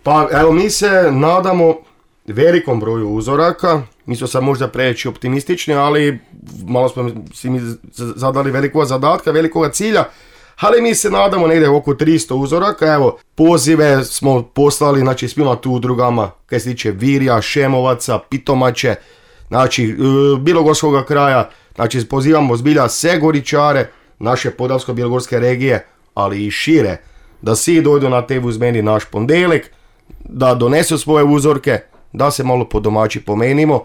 Pa evo mi se nadamo velikom broju uzoraka, mi smo sad možda preći optimistični, ali malo smo si mi zadali velikog zadatka, velikog cilja, ali mi se nadamo negdje oko 300 uzoraka. Evo, pozive smo poslali, znači, svima tu udrugama, kaj se tiče Virja, Šemovaca, Pitomače, znači, Bilogorskog kraja, znači, pozivamo zbilja sve Goričare, naše Podravsko-bilogorske regije, ali i šire, da svi dođu na te uzmeni naš pondelik, da donesu svoje uzorke, da se malo po domaći pomenimo